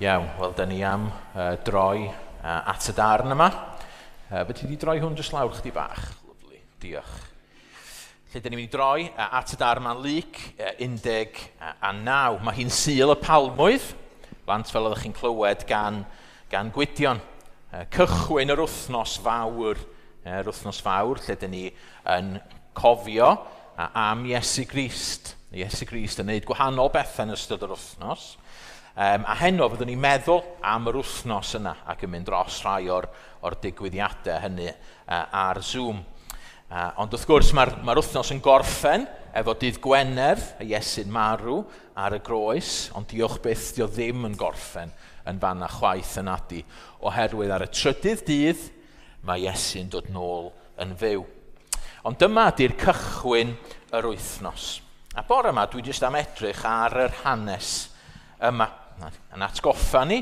Iawn, wel, da ni am droi at y darn yma. Fyddi ti wedi droi hwn jyst lawr chdi bach? Lovely, diolch. Lle da ni'n mynd i droi at y darn yma'n Luc 19. Mae hi'n Sul y Palmwydd, blant, fel oeddech chi'n clywed gan Gwydion. Cychwyn yr wythnos fawr, yr wythnos fawr lle da ni yn cofio am Iesu Grist. Iesu Grist yn gwneud gwahanol bethau yn ystod yr wythnos. A heno fyddwn ni'n meddwl am yr wythnos yna ac yn mynd dros rhai o'r digwyddiadau hynny ar Zoom. Ond wrth gwrs mae'r wythnos yn gorffen efo dydd Gwener, y Iesu'n marw ar y groes, ond diolch byth dio ddim yn gorffen yn fanna chwaith yn adi, oherwydd ar y trydydd dydd mae Iesu'n dod nôl yn fyw. Ond dyma di'r cychwyn yr wythnos. A bore yma dwi jyst am edrych ar yr hanes yma. Yn atgoffa ni,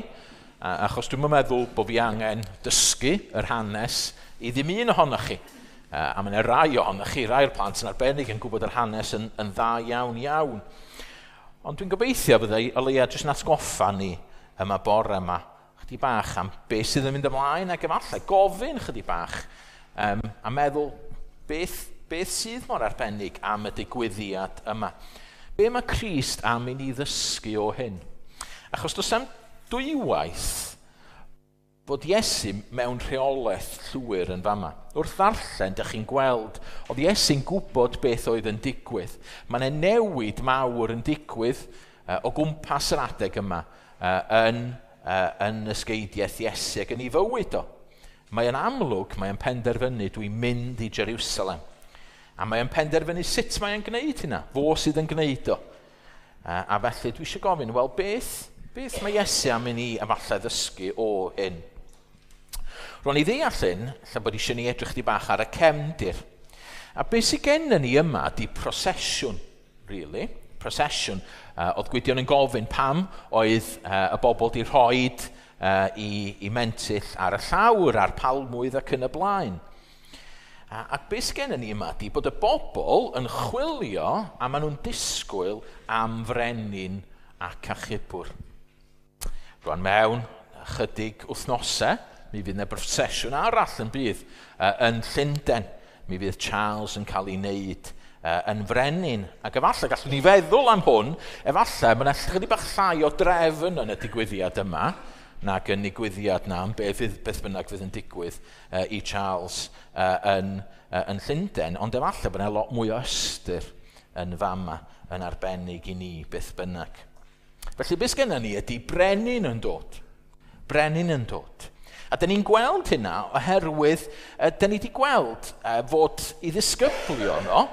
achos dwi'n meddwl bod fi angen dysgu yr hanes i ddim un ohonoch chi. A mae yna rai ohonoch chi, rai o'r plant yn arbennig yn gwybod yr hanes yn dda iawn iawn. Ond dwi'n gobeithio byddai o leia jyst yn atgoffa ni yma bore yma, chydig bach am beth sydd yn mynd ymlaen ac efallai gofyn chydig bach a meddwl beth sydd mor arbennig am y digwyddiad yma. Be mae Crist am i ni ddysgu o hyn? Achos does am dwywaith fod Iesu mewn rheolaeth llwyr yn fama. Wrth ddarllen, dych chi'n gweld, oedd Iesu'n gwybod beth oedd yn digwydd. Mae yna newid mawr yn digwydd o gwmpas yr adeg yma yn ysgeidiaeth Iesu ac yn ei fywyd o. Mae'n amlwg, mae'n penderfynu dwi'n mynd i Jerusalem. A mae'n penderfynu sut mae'n gwneud hynna, fo sydd yn gwneud o. A felly dwi eisiau gofyn, wel beth mae Iesu am i ni efallai ddysgu o hyn? Ro'n i ddeall hyn, lle bod eisiau ni edrych di bach ar y cefndir. A beth sydd gennym ni yma di prosesiwn, really. Prosesiwn. Oedd Gwydion yn gofyn pam oedd y bobl di rhoid i mentyll ar y llawr, a'r palmwydd ac yn y blaen. Ac beth sydd gennym ni yma di bod y bobl yn chwilio a maen nhw'n disgwyl am frenin ac achubwr. Rwan mewn ychydig wythnosau, mi fydd yna brosesiwn arall yn bydd yn Llundain. Mi fydd Charles yn cael ei wneud yn frenin. Ac efallai gallwn ni feddwl am hwn, efallai mae yna chydig bach llai o drefn yn y digwyddiad yma, nag yn digwyddiad na am beth bynnag fydd yn digwydd i Charles yn Llundain. Ond efallai bod yna lot mwy o ystyr yn fama, yn arbennig i ni beth bynnag. Felly beth sgenna ni ydy brenin yn dod. Brenin yn dod. A dyn ni'n gweld hynna oherwydd dyn ni wedi gweld fod i ddisgyblion o,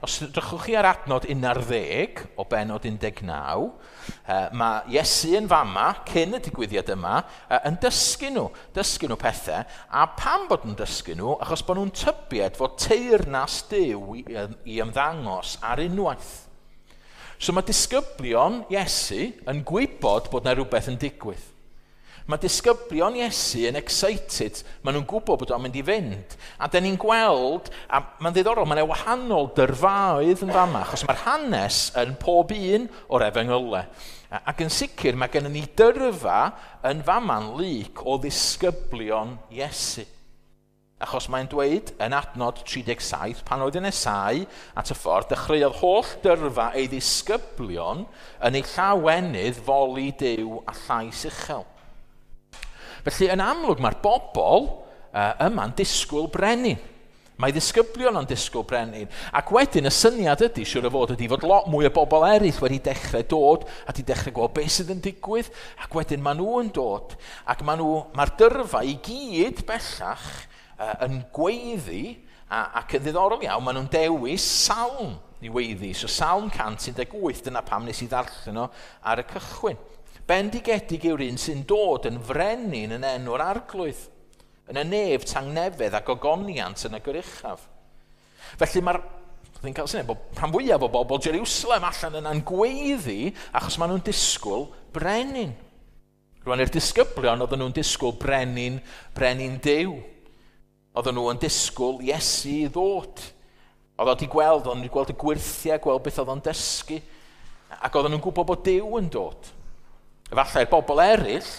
os drychwch chi ar adnod 11 o benod 19, mae Iesu yn fama, cyn y digwyddiad yma, yn dysgu nhw pethau, a pam bod nhw'n dysgu nhw? Achos bod nhw'n tybied fod teyrnas Duw i ymddangos ar unwaith. So mae disgyblion Iesu yn gwybod bod yna rhywbeth yn digwydd. Mae disgyblion Iesu yn excited, maen nhw'n gwybod bod o'n mynd i fynd. A dyn ni'n gweld, a mae'n ddiddorol, mae'n wahanol dyrfaoedd yn fama, achos mae'r hanes yn pob un o'r efengylau. Ac yn sicr mae gennym ni dyrfa yn fama'n Luc o ddisgyblion Iesu. Achos mae'n dweud yn adnod 37, pan oedd yn nesáu at y ffordd, dechreuodd holl dyrfa ei ddisgyblion yn ei llawenydd foli Duw a llais uchel. Felly, yn amlwg, mae'r bobl yma'n disgwyl brenin. Mae ddisgyblion yn disgwyl brenin. Ac wedyn, y syniad ydy, siŵr o fod, ydy fod lot mwy o bobl eraill wedi dechrau dod a wedi dechrau gweld beth sydd yn digwydd. Ac wedyn maen nhw yn dod. Ac mae'r dyrfa i gyd bellach yn gweiddi, ac yn ddiddorol iawn, maen nhw'n dewis salm i weiddi. So Salm 118, dyna pam nes i ddarllen o ar y cychwyn. Bendigedig yw'r un sy'n dod yn frenin yn enw'r arglwydd, yn y nef tangnefedd ac ogoniant yn y goruchaf. Felly mae'r, dwi'n cael syniad bod rhan fwyaf o bobl Jerusalem allan yna'n gweiddi achos maen nhw'n disgwyl brenin. Rwan i'r disgyblion oedden nhw'n disgwyl brenin Duw. Oedden nhw yn disgwyl Iesu i ddod. Oedd wedi gweld, oedd wedi gweld y gwyrthiau, gweld beth oedd o'n dysgu, ac oedden nhw'n gwybod bod Duw yn dod. Efallai'r bobl eraill,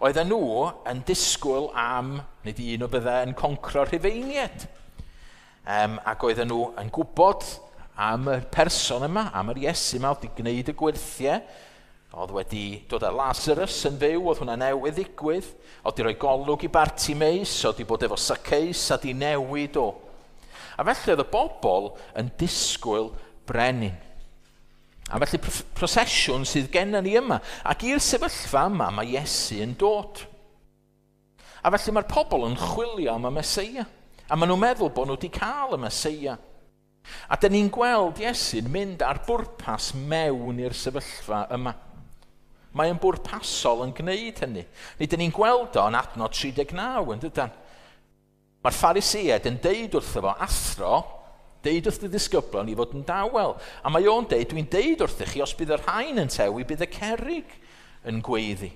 oedden nhw yn disgwyl am, nid un o bydde yn concro'r Rhufeiniaid. Ac oedden nhw yn gwybod am y person yma, am yr Iesu yma, oedd wedi gwneud y gwyrthiau, oedd wedi dod â Lazarus yn fyw, oedd hwnna newydd ddigwydd, oedd wedi rhoi golwg i Bartimeus, oedd wedi bod efo Zacchaeus a di newid o. A felly oedd y bobl yn disgwyl brenin. A felly prosesiwn sydd gennym ni yma. Ac i'r sefyllfa yma mae Iesu yn dod. A felly mae'r pobl yn chwilio am y Meseia. A maen nhw'n meddwl bod nhw wedi cael y Meseia. A dyn ni'n gweld Iesu'n mynd ar bwrpas mewn i'r sefyllfa yma. Mae yn bwrpasol yn gwneud hynny. Nid dyn ni'n gweld o yn adnod 39 yn dydan. Mae'r Phariseaid yn deud wrtho fo, athro, deud wrth y disgyblion i fod yn dawel. A mae o'n deud, dwi'n deud wrthych chi, os bydd y rhain yn tewi, bydd y cerrig yn gweiddi.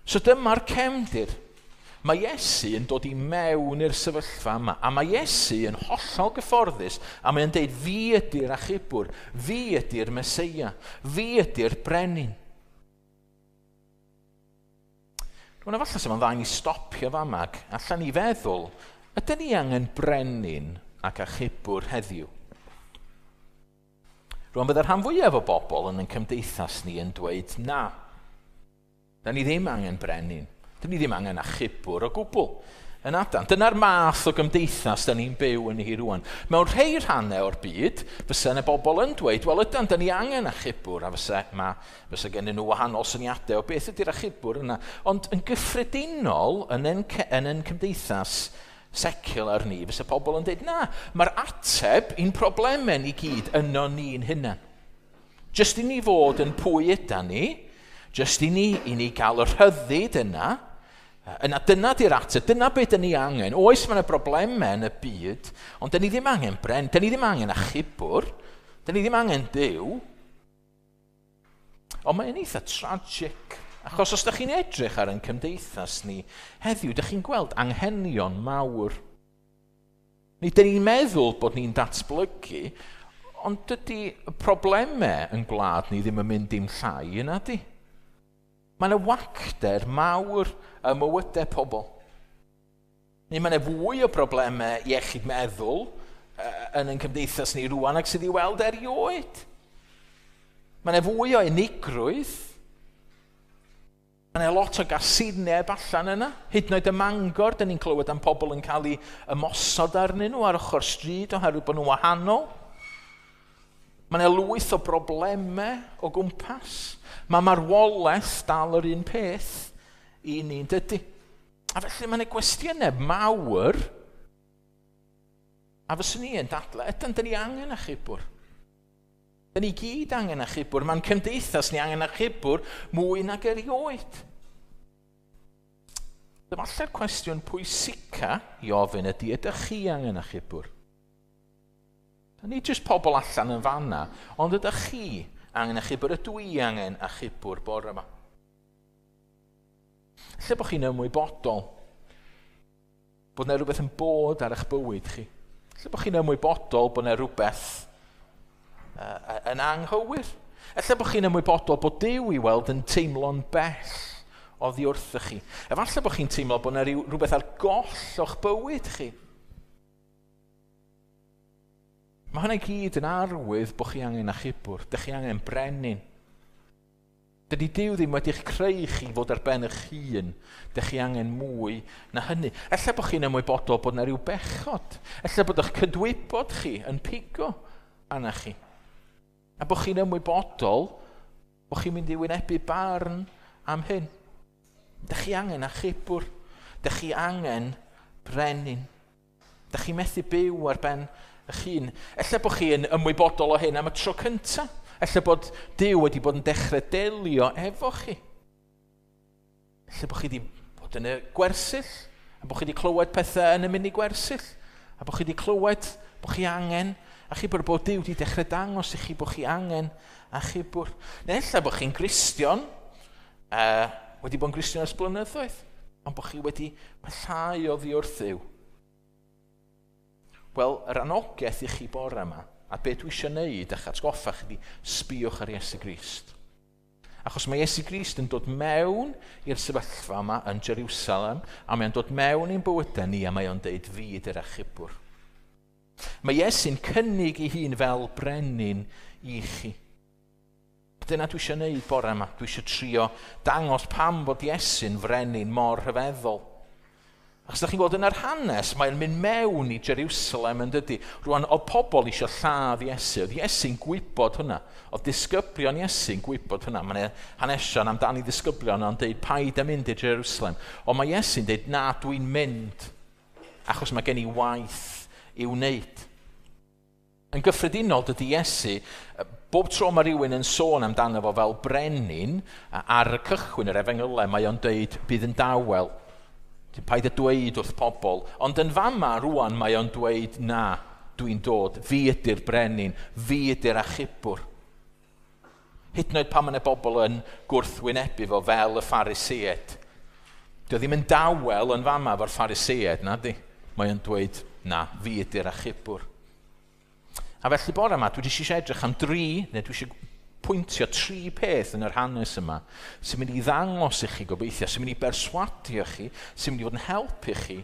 So dyma'r cefndir. Mae Iesu yn dod i mewn i'r sefyllfa yma, a mae Iesu yn hollol gyfforddus, a mae'n deud, fi ydy'r achubwr, fi ydy'r Meseia, fi ydy'r brenin. Rwy'n efallai sy'n dda i ni stopio fama, ac allan ni feddwl, ydyn ni angen brenin ac achubwr heddiw? Rwy'n byddai'r rhan fwyaf o bobl yn ein cymdeithas ni yn dweud na. Da ni ddim angen brenin. Dyn ni ddim angen achubwr o gwbl. Yn adan. Dyna'r math o gymdeithas da ni'n byw yn hi rwan. Mewn rhai rhannau o'r byd, fysa yna bobl yn dweud, wel ydan, da ni angen achubwr, a fysa gennyn nhw wahanol syniadau o beth ydy'r achubwr yna. Ond yn gyffredinol, yn ein cymdeithas secular ni, fysa pobl yn dweud, na, mae'r ateb i'n problemau ni gyd yno ni'n hunan. Jyst i ni fod yn pwy ydan ni, jyst i ni gael y rhyddid yna, yna dyna di'r ateb, dyna beth dyn ni angen. Oes, mae yna broblemau yn y byd, ond dyn ni ddim angen bren, dyn ni ddim angen achubwr, dyn ni ddim angen Duw. Ond mae'n eitha tragic, achos os ydych chi'n edrych ar ein cymdeithas ni heddiw, ydych chi'n gweld anghenion mawr. Ni dyn ni'n meddwl bod ni'n datblygu, ond dydy y problemau yn gwlad ni ddim yn mynd dim llai yna di. Mae yna wacter mawr ym mywydau pobl. Neu mae yna fwy o broblemau iechyd meddwl yn ein cymdeithas ni rwan ac sydd i weld erioed. Mae yna fwy o unigrwydd. Mae yna lot o gasineb allan yna. Hyd yn oed ym Mangor, dyn ni'n clywed am pobl yn cael ei ymosod arnyn nhw ar ochr stryd oherwydd bod nhw'n wahanol. Mae yna lwyth o broblemau o gwmpas. Mae marwolaeth dal yr un peth i ni'n dydy. A felly mae yna gwestiynau mawr, a fyswn ni yn dadlau, ydyn, dyn ni angen achubwr. Dyn ni gyd angen achubwr. Mae'n cymdeithas ni angen achubwr mwy nag erioed. Efallai'r cwestiwn pwysica i ofyn ydy, ydych chi angen achubwr? Nid jyst pobl allan yn fanna, ond ydych chi angen achubwr? Ydw i angen achubwr bore yma? Lle bod chi'n ymwybodol bod yna rhywbeth yn bod ar eich bywyd chi? Lle bod chi'n ymwybodol bod yna rhywbeth yn anghywir? Lle bod chi'n ymwybodol bod Duw i weld yn teimlo'n bell oddi wrthych chi? Efallai bod chi'n teimlo bod yna rhywbeth ar goll o'ch bywyd chi. Mae hynna i gyd yn arwydd bod chi angen achubwr, dych chi angen brenin. Dydy Duw ddim wedi'ch creu chi fod ar ben eich hun, dych chi angen mwy na hynny. Ella bod chi'n ymwybodol bod yna rhyw bechod, ella bod eich cydwybod chi yn pigo arna chi. A bod chi'n ymwybodol bod chi'n mynd i wynebu barn am hyn. Dych chi angen achubwr, dych chi angen brenin. Dych chi methu byw ar ben eich hun. Ella bod chi yn ymwybodol o hyn am y tro cyntaf. Ella bod Duw wedi bod yn dechrau delio efo chi. Ella bod chi wedi bod yn y gwersyll, a bod chi wedi clywed pethau yn y mini gwersyll, a bod chi wedi clywed bod chi angen achubwr, bod Duw wedi dechrau dangos i chi bod chi angen achubwr. Neu ella bod chi'n Gristion, wedi bod yn Gristion ers blynyddoedd, ond bod chi wedi pellhau oddi wrth Dduw. Wel, yr anogaeth i chi bore yma, a be dwi eisiau neud eich atgoffa chi, sbïwch ar Iesu Grist. Achos mae Iesu Grist yn dod mewn i'r sefyllfa yma yn Jerusalem, a mae'n dod mewn i'n bywydau ni, a mae o'n deud, fi ydy'r achubwr. Mae Iesu'n cynnig ei hun fel brenin i chi. Dyna dwi eisiau gwneud bore yma. Dwi eisiau trio dangos pam bod Iesu'n frenin mor rhyfeddol. Achos ydych chi'n gweld yn yr hanes, mae'n mynd mewn i Jerusalem yn dydy. Rwan, oedd pobl eisiau lladd Iesu. Oedd Iesu'n gwybod hwnna. Oedd disgyblion Iesu'n gwybod hwnna. Mae'n hanesion amdani ddisgyblion o'n deud, paid â mynd i Jerusalem. Ond mae Iesu'n deud, na, dwi'n mynd. Achos mae gen i waith i'w wneud. Yn gyffredinol, dydy Iesu, bob tro mae rhywun yn sôn amdano fo fel brenin, ar y cychwyn yr efengylau, mae o'n deud, bydd yn dawel. Paid â dweud wrth pobl. Ond yn fama rwan mae o'n dweud, na, dwi'n dod, fi ydy'r brenin, fi ydy'r achubwr. Hyd yn oed pan mae yna bobl yn gwrthwynebu fo fel y Phariseaid. Dio ddim yn dawel yn fama efo'r Phariseaid, na di. Mae o'n dweud, na, fi ydy'r achubwr. A felly bore yma, dwi eisiau edrych am dri, neu dwi eisiau pwyntio tri peth yn yr hanes yma sy'n mynd i ddangos i chi gobeithio, sy'n mynd i berswadio chi, sy'n mynd i fod yn helpu chi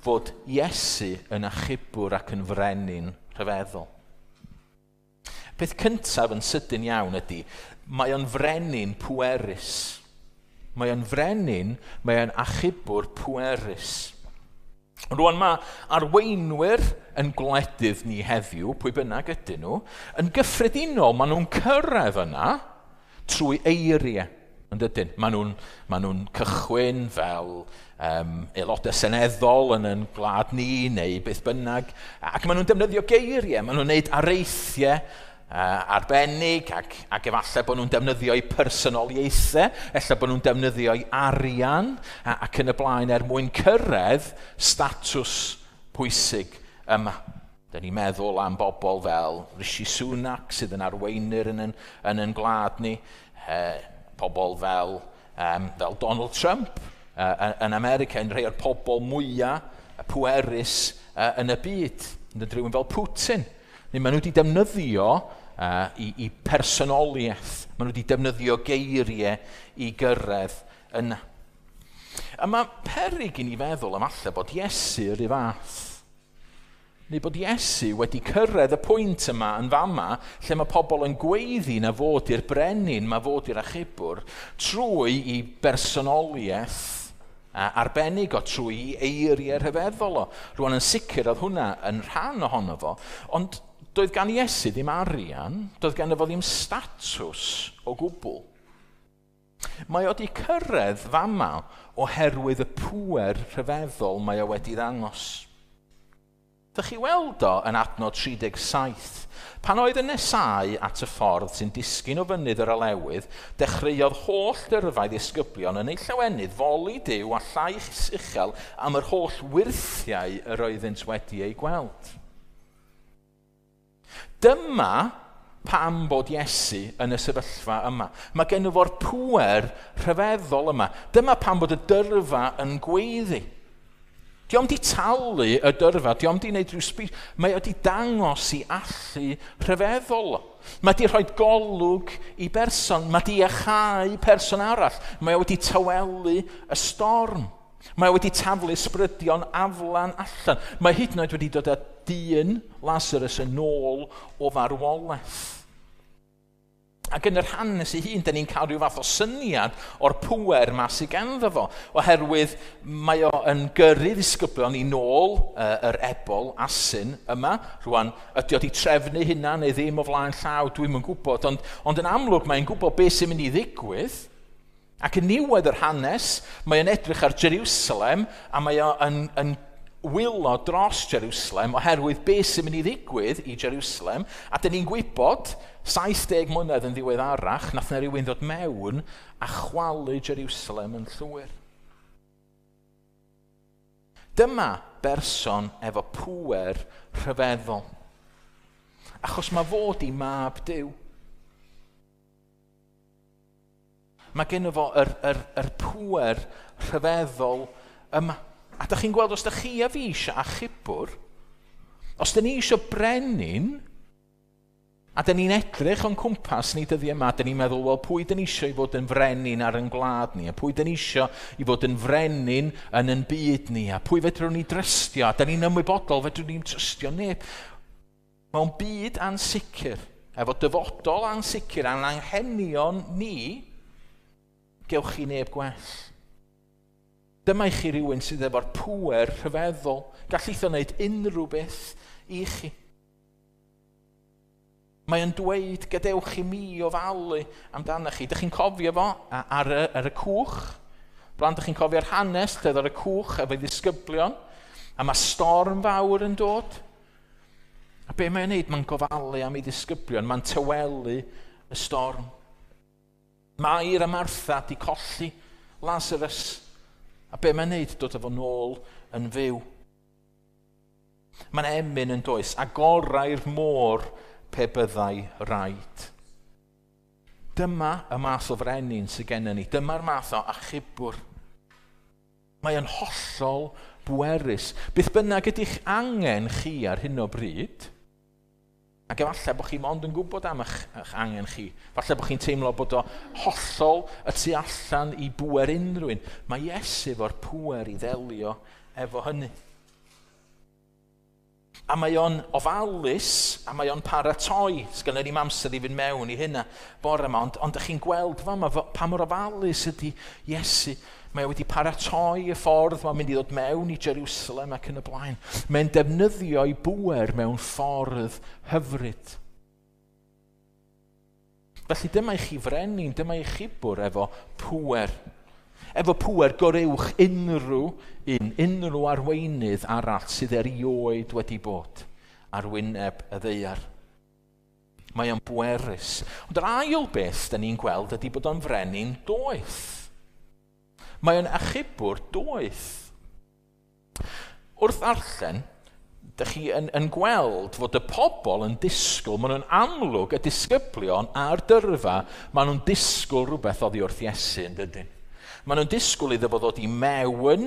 fod Iesu yn achubwr ac yn frenin rhyfeddol. Peth cyntaf yn sydyn iawn ydy, mae o'n frenin pwerus. Mae o'n frenin, mae o'n achubwr pwerus. Rwan mae arweinwyr yn gwledydd ni heddiw, pwy bynnag ydyn nhw, yn gyffredinol maen nhw'n cyrraedd yna trwy eiriau. Yn dydyn? Maen nhw'n cychwyn fel aelodau seneddol yn yn gwlad ni neu beth bynnag, ac maen nhw'n defnyddio geiriau, maen nhw'n gwneud areithiau arbennig ac efallai bod nhw'n defnyddio eu personoliaethau, ella bod nhw'n defnyddio eu arian ac yn y blaen er mwyn cyrraedd statws pwysig yma. Dyn ni'n meddwl am bobl fel Rishi Sunak sydd yn arweinyr yn yn gwlad ni, pobl fel Donald Trump yn America, yn rhai o'r pobl mwyaf pwerus yn y byd, yn rhywun fel Putin. Neu maen nhw wedi defnyddio i personoliaeth, maen nhw wedi defnyddio geiriau i gyrraedd yna. A mae peryg i ni feddwl am alle bod Iesu yr un fath. Neu bod Iesu wedi cyrraedd y pwynt yma yn fama, lle mae pobl yn gweiddi na fod i'r brenin, mae fod i'r achubwr, trwy i bersonoliaeth arbennig o, trwy i eiriau rhyfeddol o. Rwan yn sicr oedd hwnna yn rhan ohono fo, ond doedd gan Iesu ddim arian, doedd gan fo ddim statws o gwbl. Mae o wedi cyrraedd fama oherwydd y pŵer rhyfeddol mae o wedi ddangos. Dych chi weld o yn adnod 37. Pan oedd yn nesáu at y ffordd sy'n disgyn o fynydd yr olewydd, dechreuodd holl dyrfau ddisgyblion yn eu llawenydd foli Duw a llais uchel am yr holl wyrthiau yr oeddynt wedi eu gweld. Dyma pam bod Iesu yn y sefyllfa yma. Mae gen fo'r pŵer rhyfeddol yma. Dyma pam bod y dyrfa yn gweiddi. Dio'm di talu y dyrfa, dio'm di wneud rhyw speech. Mae o di dangos i allu rhyfeddol. Mae di rhoi golwg i berson, mae di iachau person arall. Mae o wedi tawelu y storm. Mae o wedi taflu ysbrydion aflan allan. Mae hyd yn oed wedi dod â dyn Lazarus yn ôl o farwolaeth. Ac yn yr hanes ei hun, da ni'n cael rhyw fath o syniad o'r pŵer ma sydd ganddo fo, oherwydd mae o yn gyrru ddisgyblion i nôl yr ebol, asyn yma. Rwan, ydy o wedi trefnu hynna neu ddim o flaen llaw, dwi'm yn gwybod, ond yn amlwg mae'n gwybod beth sy'n mynd i ddigwydd. Ac yn niwedd yr hanes, mae o'n edrych ar Jerusalem a mae o yn wylo dros Jerusalem oherwydd beth sy'n mynd i ddigwydd i Jerusalem. A dyn ni'n gwybod, 70 mlynedd yn ddiweddarach, nath na rhywun ddod mewn a chwalu Jerusalem yn llwyr. Dyma berson efo pŵer rhyfeddol. Achos mae fod i mab Duw. Mae gen fo yr pŵer rhyfeddol yma. A dych chi'n gweld, os dych chi a fi eisiau achubwr, os dych ni eisiau brenin, A dyn ni'n edrych o'n cwmpas ni dyddiau yma, dyn ni'n meddwl, wel, pwy dyn ni eisiau i fod yn frenin ar yn gwlad ni, a pwy dyn ni eisiau i fod yn frenin yn yn byd ni, a pwy fedrwn ni drystio, a dyn ni'n ymwybodol fedrwn ni'n trystio neb. Mewn byd ansicr, efo dyfodol ansicr a'n anghenion ni, gewch chi neb gwell. Dyma i chi rhywun sydd efo'r pŵer rhyfeddol. Gallith o wneud unrhyw beth i chi. Mae o'n dweud, gadewch i mi ofalu amdano chi. Dych chi'n cofio fo ar y cwch? Blant, dych chi'n cofio'r hanes lle oedd ar y cwch efo'i ddisgyblion? A mae storm fawr yn dod. A be mae'n neud? Mae'n gofalu am ei ddisgyblion. Mae'n tawelu y storm. Mair a Martha di colli Lazarus. A be mae'n neud? Dod efo nôl yn fyw. Mae'n emyn yn does. Agorau'r môr pe byddai raid. Dyma y math o frenin sydd gennym ni. Dyma'r math o achubwr. Mae yn hollol bwerus. Beth bynnag ydych angen chi ar hyn o bryd, ac efallai bod chi mond yn gwybod am eich angen chi, falle bod chi'n teimlo bod o hollol y tu allan i bŵer unrhyw un. Mae Iesu efo'r pŵer i ddelio efo hynny. A mae o'n ofalus, a mae o'n paratoi. Sgynnon ni'm amser i fynd mewn i hynna bore yma, ond ydych chi'n gweld fama pa mor ofalus ydy Iesu. Mae o wedi paratoi y ffordd, mae'n mynd i ddod mewn i Jerusalem ac yn y blaen. Mae'n defnyddio ei bŵer mewn ffordd hyfryd. Felly dyma i chi frenin, dyma i chi bwr efo pŵer. Efo pŵer goruwch unrhyw un, unrhyw arweinydd arall sydd erioed wedi bod ar wyneb y ddaear. Mae o'n bwerus. Ond yr ail beth da ni'n gweld ydy bod o'n frenin doeth. Mae o'n achubwr doeth. Wrth ddarllen, dych chi yn gweld fod y pobl yn disgwyl, maen nhw'n amlwg, y disgyblion a'r dyrfa, maen nhw'n disgwyl rhywbeth oddi wrth Iesu, yn dydyn? Maen nhw'n disgwyl iddo fo ddod i mewn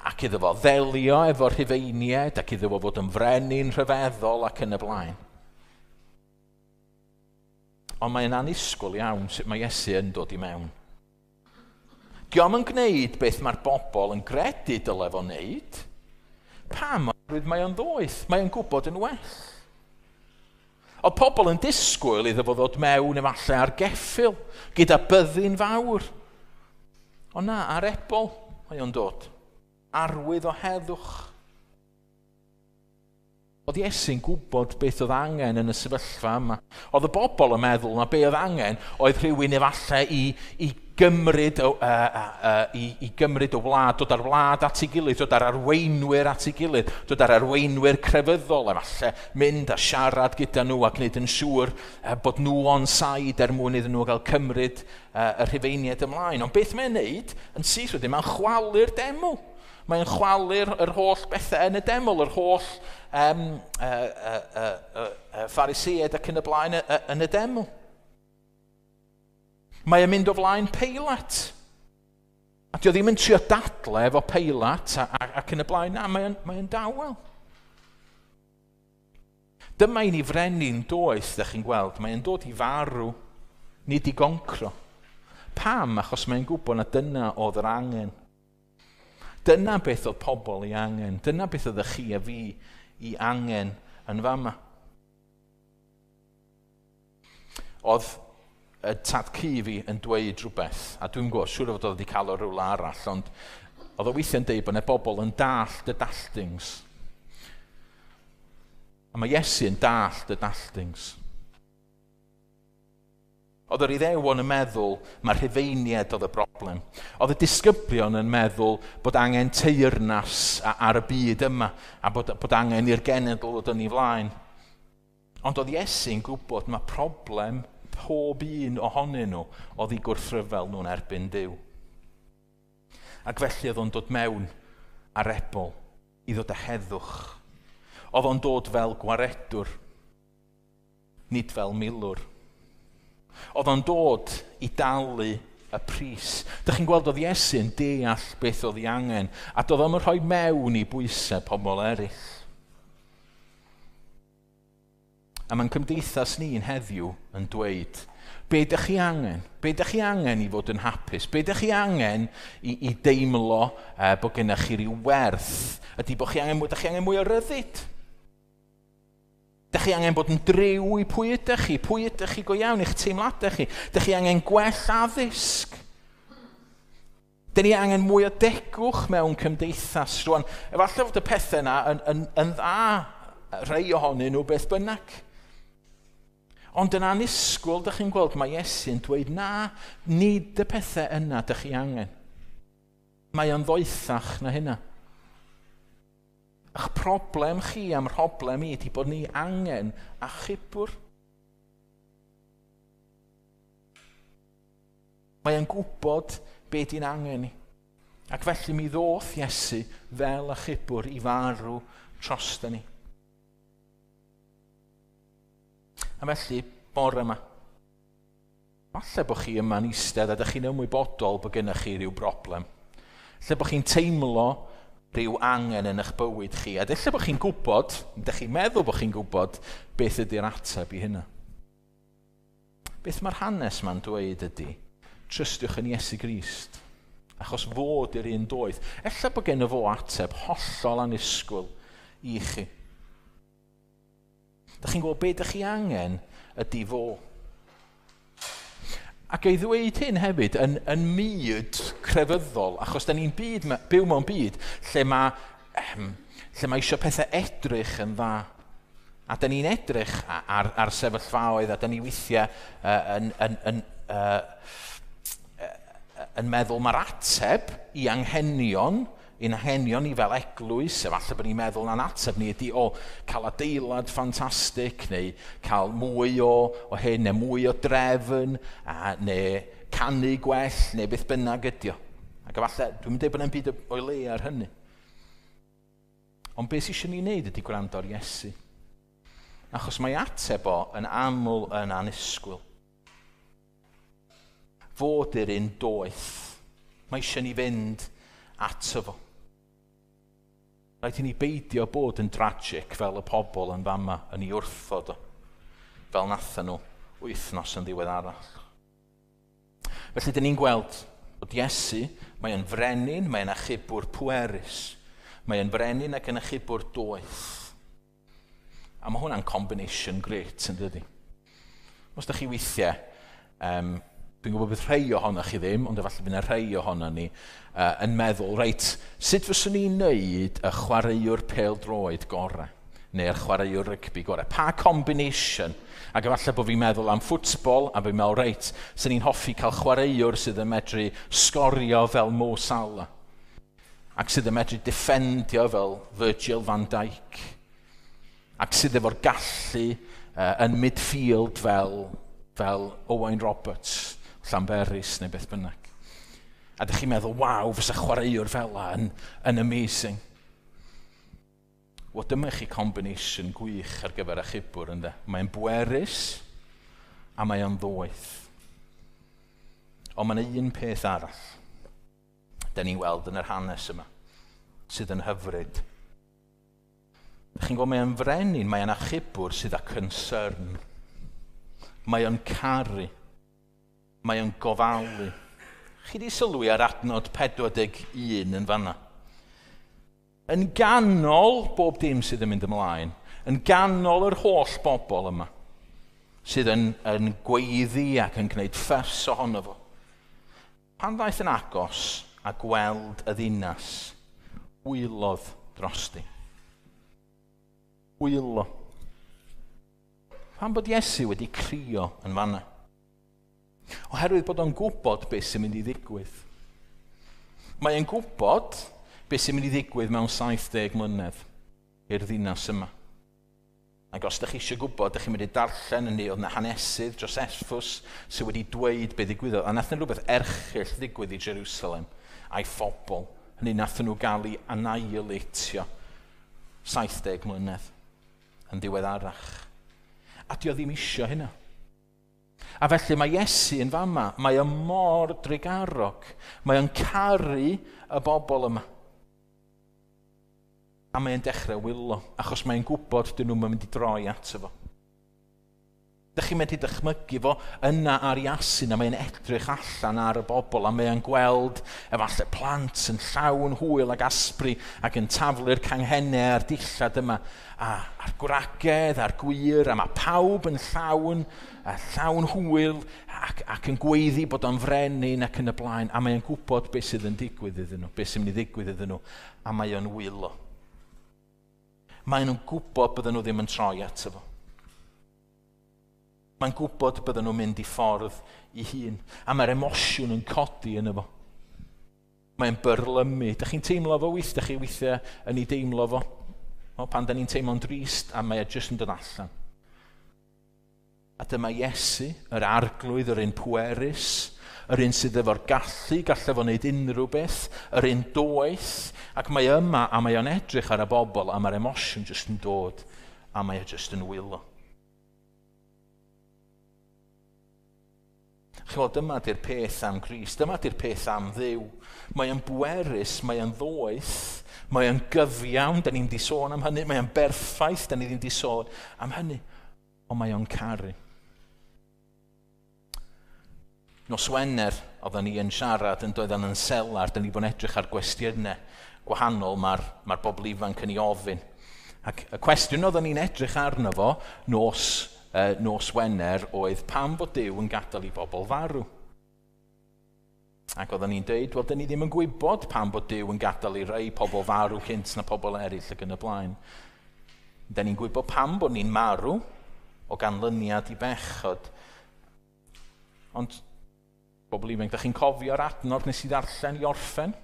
ac iddo fo ddelio efo'r Rhufeiniaid ac iddo fo fod yn frenin rhyfeddol ac yn y blaen. Ond mae'n annisgwyl iawn sut mae Iesu yn dod i mewn. Dio'm yn gwneud beth mae'r bobl yn gredu dyle fo wneud. Pam? Oherwydd mae o'n ddoeth. Mae o'n gwybod yn well. Oedd pobl yn disgwyl iddo fo ddod mewn efallai ar geffyl, gyda byddin fawr. Ond na, ar ebol mae o'n dod. Arwydd o heddwch. Oedd Iesu'n gwybod beth oedd angen yn y sefyllfa yma. Oedd y bobl yn meddwl na be oedd angen oedd rhywun efallai i gymryd y wlad, dod â'r wlad at ei gilydd, dod â'r arweinwyr at ei gilydd, dod â'r arweinwyr crefyddol efallai, mynd a siarad gyda nhw a gwneud yn siŵr bod nhw on side er mwyn iddyn nhw gael cymryd y Rhufeiniaid ymlaen. Ond beth mae'n neud yn syth wedyn, mae'n chwalu'r deml. Mae'n chwalu'r yr holl bethau yn y deml, yr holl Phariseaid ac yn y blaen yn y deml. Mae o'n mynd o flaen Peilat. A dio ddim yn trio dadle efo Peilat ac yn y blaen. Na, mae o'n dawel. Dyma i ni frenin doeth, ddech chi'n gweld. Mae o'n dod i farw, nid i goncro. Pam? Achos mae'n gwybod na dyna oedd yr angen. Dyna beth oedd pobl i angen. Dyna beth oedd chi a fi i angen yn fama. Oedd y tad cu fi yn dweud rhywbeth, a dwi'n gwybod, siŵr o fod oedd wedi cael o rhywle arall, ond oedd o weithiau'n dweud bod yna bobl yn dallt y dalltings. A mae Iesu yn dallt y dalltings. Oedd yr Iddewon yn meddwl mae'r Rhufeiniaid oedd y broblem. Oedd y disgyblion yn meddwl bod angen teyrnas ar y byd yma a bod angen i'r genedl ddod yn ei flaen. Ond oedd Iesu'n gwybod mae problem pob un ohonyn nhw oedd eu gwrthryfel nhw'n erbyn Duw. Ac felly oedd o'n dod mewn ar ebol i ddod â heddwch. Oedd o'n dod fel gwaredwr, nid fel milwr. Oedd o'n dod i dalu y pris. Dych chi'n gweld oedd Iesu'n deall beth oedd ei angen, a doedd o'm yn rhoi mewn i bwysau pobl eraill. A mae'n cymdeithas ni'n heddiw yn dweud, be ydych chi angen? Be ydych chi angen i fod yn hapus? Be ydych chi angen i deimlo bod gennych chi ryw werth? Ydy bod chi angen, ydych chi angen mwy o ryddid? Ydych chi angen bod yn driw i pwy ydych chi? Pwy ydych chi go iawn, eich teimladau chi? Ydych chi angen gwell addysg? Dyn ni angen mwy o degwch mewn cymdeithas rwan. Efallai fod y pethau yna yn dda, rhai ohonyn nhw beth bynnag. Ond yn annisgwyl, dych chi'n gweld, mae Iesu'n dweud, na, nid y pethau yna dych chi angen. Mae o'n ddoethach na hynna. Ych problem chi am problem i ydy bod ni angen achubwr. Mae o'n gwybod be di'n angen ni. Ac felly mi ddoth Iesu fel achubwr i farw drosta ni. A felly, bore yma, falle bod chi yma'n eistedd a ydych chi'n ymwybodol bod gennych chi rhyw broblem. Lle bod chi'n teimlo rhyw angen yn eich bywyd chi. A lle bod chi'n gwybod, ydych chi'n meddwl bod chi'n gwybod beth ydy'r ateb i hynna. Beth mae'r hanes ma'n dweud ydy, trystiwch yn Iesu Grist, achos fod i'r un doeth. Ella bod gen fo ateb hollol annisgwyl i chi. Dych chi'n gwybod beth ydych chi angen ydy fo. Ac ei ddweud hyn hefyd yn myd crefyddol, achos da ni'n byw mewn byd lle mae eisiau pethau edrych yn dda. A da ni'n edrych ar sefyllfaoedd, a da ni weithiau yn meddwl mae'r ateb i anghenion, i'n anghenion ni fel eglwys, efallai bod ni'n meddwl na'n ateb ni ydy o cael adeilad ffantastig, neu cael mwy o hyn, neu mwy o drefn, neu canu gwell, neu beth bynnag ydy o. Ac efallai, dwi'n dweud bod e'n byd o'i le ar hynny. Ond beth sydd eisiau ni wneud ydy gwrando ar Iesu. Achos mae ateb o yn aml yn annisgwyl. Fod i'r un doeth. Mae eisiau ni fynd ato fo. Rhaid i ni beidio bod yn tragic fel y pobl yn fama yn ei wrthod o, fel nathen nhw wythnos yn ddiweddarach. Felly, dyn ni'n gweld bod Iesu, mae o'n frenin, mae o'n achubwr pwerus, mae o'n frenin ac yn achubwr doeth. A mae hwnna'n combination great, yn dydi? Os ydych chi weithiau, dwi'n gwybod bydd rhai ohonoch chi ddim, ond efallai bydd yna rhai ohono ni yn meddwl, reit, sut fyswn ni'n neud y chwaraewr pêl-droed gorau, neu'r chwaraewr rygbi gorau? Pa combination? Ac efallai bod fi'n meddwl am ffwtbol, a fi'n meddwl, reit, swn ni'n hoffi cael chwaraewr sydd yn medru sgorio fel Mo Salah, ac sydd yn medru defendio fel Virgil van Dijk, ac sydd efo'r gallu yn midfield fel Owain Roberts, Llanberis neu beth bynnag. A ydych chi'n meddwl, waw, fysa chwaraewr fel la yn amazing. Wel, dyma chi combination gwych ar gyfer achubwr, ynddo. Mae'n bwerus a mae o'n ddoeth. Ond mae'n un peth arall da ni'n weld yn yr hanes yma, sydd yn hyfryd. Ydych chi'n gweld, mae'n frenin, mae'n achubwr sydd â concern. Mae o'n caru. Mae o'n gofalu. Chi di sylwi ar adnod 41 yn fanna? Yn ganol bob dim sydd yn mynd ymlaen, yn ganol yr holl bobl yma, sydd yn gweiddi ac yn gwneud ffys ohono fo. Pan ddaeth yn agos a gweld y ddinas, wylodd drosti. Wylo. Pan bod Iesu wedi crio yn fanna? Oherwydd bod o'n gwybod beth sy'n mynd i ddigwydd. Mae o'n gwybod beth sy'n mynd i ddigwydd mewn 70 mlynedd i'r ddinas yma. Ac os ydych chi eisiau gwybod, ydych chi'n mynd i darllen yn ni, oedd yna hanesydd Josephus sydd wedi dweud beth ddigwyddodd. A nath yna rhywbeth erchyll ddigwydd i Jerusalem a'i phobl. Hynny nath nhw gael ei annihilatio 70 mlynedd yn ddiweddarach. A dio ddim isio hynna. A felly mae Iesu yn fama, mae o mor drugarog, mae o'n caru y bobl yma. A mae'n dechrau wylo, achos mae'n gwybod dyn nhw'n mynd i droi ato fo. Dych chi'n medru dychmygu fo yna ar Iesu, a mae'n edrych allan ar y bobl, a mae'n gweld efallai plant yn llawn hwyl ac asbri ac yn taflu'r canghennau a'r dillad yma, a'r gwragedd a'r gwir, a mae pawb yn llawn, a llawn hwyl ac yn gweiddi bod o'n frenin ac yn y blaen, a mae'n gwybod beth sydd yn digwydd iddyn nhw, beth sy'n mynd i ddigwydd iddyn nhw, a mae o'n wylo. Maen nhw'n gwybod bydden nhw ddim yn troi ato fo. Mae'n gwybod bydden nhw'n mynd i ffordd i hun. A mae'r emosiwn yn codi yn efo. Mae'n byrlymu. Dych chi'n teimlo fo weith? Dych chi weithiau yn ei deimlo fo? O, pan da ni'n teimlo'n drist, a mae e jyst yn dod allan. A dyma Iesu, yr arglwydd, yr un pwerus, yr un sydd efo'r gallu, gallai fo wneud unrhyw beth, yr un doeth, ac mae yma, a mae o'n edrych ar y bobl, a mae'r emosiwn jyst yn dod, a mae e jyst yn wylo. Chymod, dyma di'r peth am Grist, dyma di'r peth am Dduw. Mae o'n bwerus, mae o'n ddoeth, mae o'n gyfiawn, da ni'n di sôn am hynny, mae o'n berffaith, da ni ddim di sôn am hynny, ond mae o'n caru. Nos Wener, oedden ni yn siarad yn doedden yn selar, da ni bod yn edrych ar gwestiynau gwahanol mae'r bobl ifanc yn ei ofyn. Ac y cwestiwn oedden ni'n edrych arno fo nos Wener oedd pam bod Duw yn gadael i bobl farw. Ac oedden ni'n dweud, wel, dyn ni ddim yn gwybod pam bod Duw yn gadael i rai pobl farw cynt na pobl eraill ac yn y blaen. Dyn ni'n gwybod pam bod ni'n marw o ganlyniad i bechod. Ond, bobl ifanc, ydych chi'n cofio'r adnod nes i ddarllen i orffen?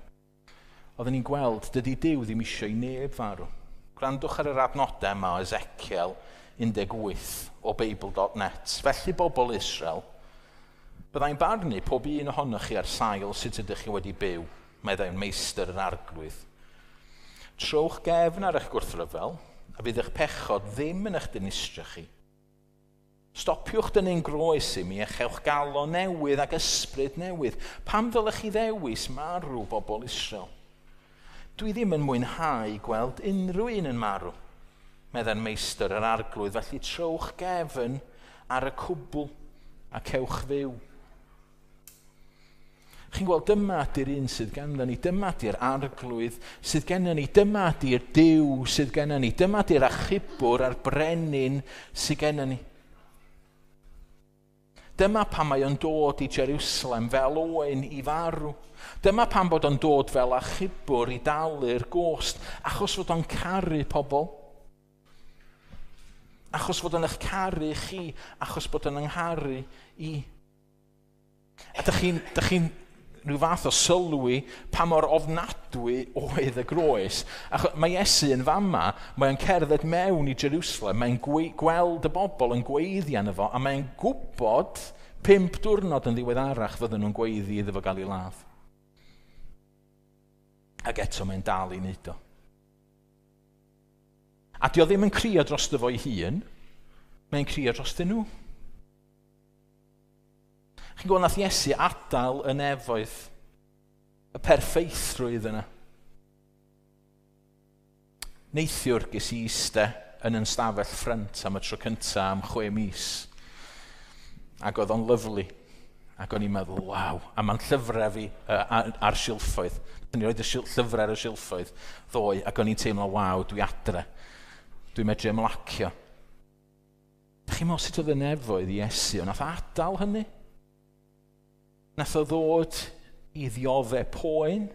Oedden ni'n gweld, dydy Duw ddim eisiau i neb farw. Gwrandwch ar yr adnodau yma o Ezekiel 18 o Beibl.net. Felly bobl Israel, byddai'n barnu pob un ohonoch chi ar sail sut ydych chi wedi byw, meddai'n meistr yr arglwydd. Trowch gefn ar eich gwrthryfel, a fydd eich pechod ddim yn eich dinistrio chi. Stopiwch dynnu'n groes i mi a chewch galon newydd ac ysbryd newydd. Pam ddylech chi ddewis marw bobl Israel? Dwi ddim yn mwynhau gweld unrhyw un yn marw, meddai'r meistr yr arglwydd, felly trowch gefn ar y cwbl a cewch fyw. Chi'n gweld, dyma di'r un sydd ganddo ni, dyma di'r arglwydd sydd gennym ni, dyma di'r Duw sydd gennym ni, dyma di'r achubwr a'r brenin sydd gennym ni. Dyma pam mae o'n dod i Jerusalem fel oen i farw. Dyma pam bod o'n dod fel achubwr i dalu'r gost, achos fod o'n caru pobl. Achos fod o'n eich caru chi, achos bod o'n yngharu i. A dych chi'n rhyw fath o sylwi pa mor ofnadwy oedd y groes. Achos mae Iesu yn fama, mae'n cerdded mewn i Jerusalem, mae'n gweld y bobl yn gweiddi arno fo, a mae'n gwybod 5 diwrnod yn ddiweddarach fydden nhw'n gweiddi iddo fo gael ei ladd. Ac eto mae'n dal i wneud o. A dio ddim yn crio drosto fo'i hun, mae'n crio drostyn nhw. Chi'n gweld nath Iesu adael y nefoedd, y perffeithrwydd yna. Neithiwr ges i iste yn yn stafell ffrynt am y tro cynta am 6 mis. Ac oedd o'n lyfli. Ac o'n i'n meddwl, waw, a ma'n llyfrau fi ar silffoedd. O'n i'n rhoid y llyfrau ar y silffoedd ddoe, ac o'n i'n teimlo, waw, dwi adre. Dwi'n medru ymlacio. Dach chi'n meddwl sut oedd y nefoedd i Iesu, ond nath adael hynny? Nath o ddod i ddioddef poen,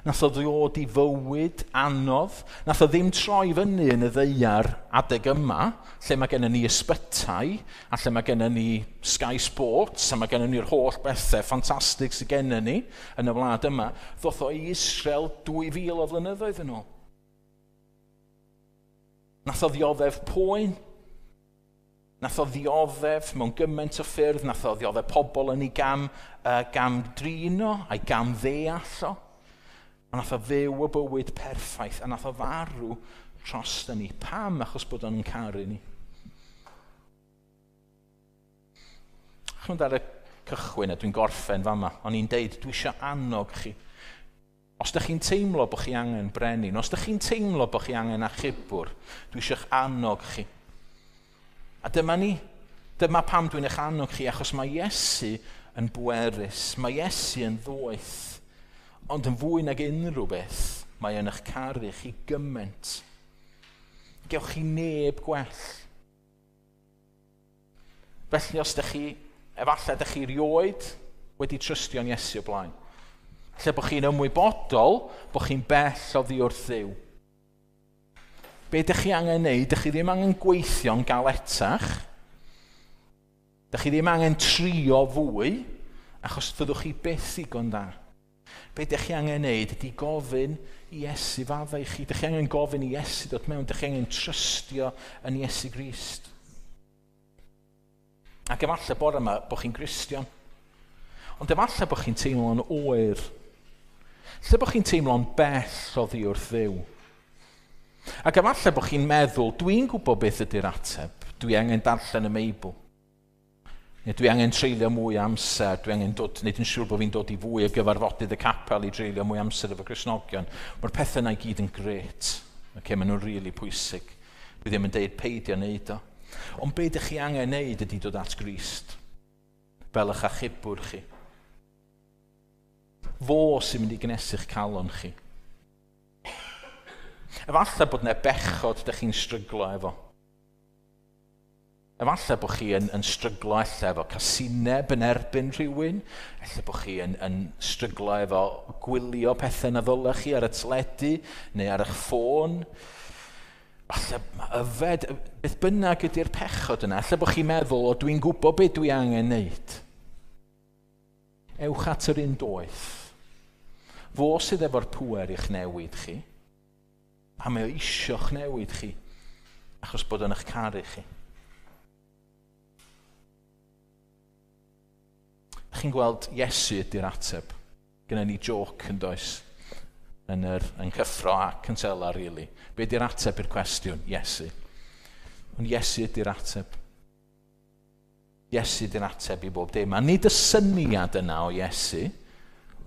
nath o ddod i fywyd anodd, nath o ddim troi fyny yn y ddaear adeg yma, lle mae gennym ni ysbytai, a lle mae gennym ni Sky Sports, a mae gennym ni'r holl bethau ffantastig sydd gennym ni yn y wlad yma, ddoth o i Israel 2000 o flynyddoedd yn ôl. Nath o ddioddef poen. Nath o ddioddef mewn gymaint o ffyrdd, nath o ddioddef pobl yn ei gam drino a'i gam ddeall o. A nath o fyw y bywyd perffaith, a nath o farw dros ni. Pam? Achos bod o'n caru ni. Chymod ar y cychwyn, a dwi'n gorffen fama, o'n i'n deud, dwi eisiau annog chi. Os ydych chi'n teimlo bod chi angen brenin, os ydych chi'n teimlo bod chi angen achubwr, dwi eisiau'ch annog chi. A dyma ni, Dyma pam dwi'n eich annog chi, achos mae Iesu yn bwerus, mae Iesu yn ddoeth, ond yn fwy nag unrhyw beth, mae yn eich caru chi gymaint. Gewch chi neb gwell. Felly os ydych chi, efallai ydych chi rioed wedi trystio'n Iesu o blaen. Lle bod chi'n ymwybodol bod chi'n bell oddi wrth Dduw. Be ydych chi angen neud? Ydych chi ddim angen gweithio'n galetach. Ydych chi ddim angen trio fwy, achos fyddwch chi byth ddigon da. Be ydych chi angen neud ydy gofyn i Iesu faddau chi. Ydych chi angen gofyn i Iesu dod mewn. Ydych chi angen trystio yn Iesu Grist. Ac efallai bore yma bod chi'n Gristion. Ond efallai bod chi'n teimlo'n oer. Lle bod chi'n teimlo'n bell oddi wrth Dduw. Ac efallai bod chi'n meddwl, dwi'n gwybod beth ydy'r ateb. Dwi angen darllen y Meibl. Neu dwi angen treulio mwy o amser, dwi angen dod, wneud yn siŵr bod fi'n dod i fwy o gyfarfodydd y capel i dreulio mwy o amser efo Cristnogion. Mae'r pethau yna i gyd yn grêt. Okay, maen nhw'n rili pwysig. Dwi ddim yn deud peidio wneud o. Ond be ydych chi angen wneud ydy dod at Grist, fel eich achubwr chi. Fo sy'n mynd i gnesu'ch calon chi. Efallai bod yna bechod ydych chi'n stryglo efo. Efallai bod chi yn stryglo ella efo casineb yn erbyn rhywun. Ella bod chi yn stryglo efo gwylio pethau na ddylech chi ar y teledu neu ar eich ffôn. Falle yfed, beth bynnag ydy'r pechod yna. Ella bod chi'n meddwl, o dwi'n gwybod beth dwi angen neud. Ewch at yr un doeth. Fo sydd efo'r pŵer i'ch newid chi. A mae o isio'ch newid chi, achos bod o'n eich caru chi. Chi'n gweld Iesu ydy'r ateb. Gynna ni joc yn does, yn cyffro a cynsela, really. Be ydy'r ateb i'r cwestiwn? Iesu. Ond Iesu ydy'r ateb. Iesu ydy'r ateb i bob dim. A nid y syniad yna o Iesu,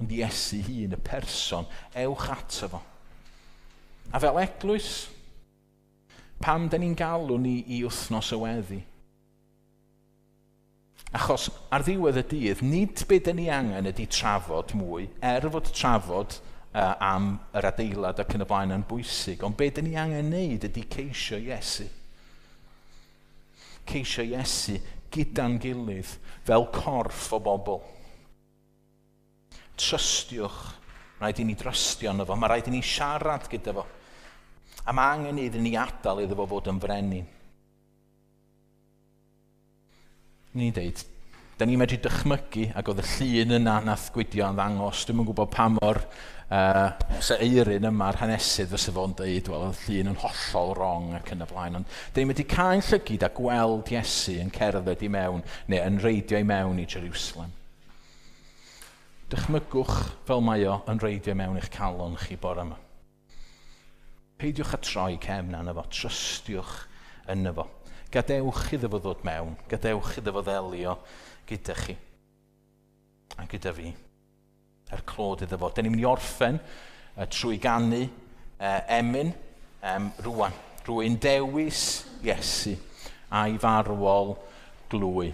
ond Iesu hun, y person, ewch ato fo. A fel eglwys, pam da ni'n galw ni i wythnos y weddi? Achos ar ddiwedd y dydd, nid be da ni angen ydy trafod mwy, er fod trafod am yr adeilad ac yn y blaen yn bwysig, ond be da ni angen wneud ydy ceisio Iesu. Ceisio Iesu gyda'n gilydd fel corff o bobl. Trystiwch, rhaid i ni drystio yno fo, mae rhaid i ni siarad gyda fo. A mae angen iddyn ni adael iddo fo fod yn frenin. Ni'n deud, da ni'n medru dychmygu, ac oedd y llun yna nath Gwydio yn ddangos, dwi'm yn gwybod pa mor se eirin yma'r hanesydd fysa fo'n deud, wel, oedd llun yn hollol wrong ac yn y blaen. Ond da ni'n medru cael llygid a gweld Iesu yn cerdded i mewn, neu yn reidio i mewn i Jerusalem. Dychmygwch fel mae o yn reidio i mewn i'ch calon chi bore yma. Peidiwch â troi cefn arno fo, trystiwch yno fo. Gadewch iddo fo ddod mewn, gadewch iddo fo ddelio gyda chi a gyda fi. Er clod iddo fo. Da ni'n mynd i orffen trwy ganu emyn rwan. Rwy'n dewis Iesu a'i farwol glwy.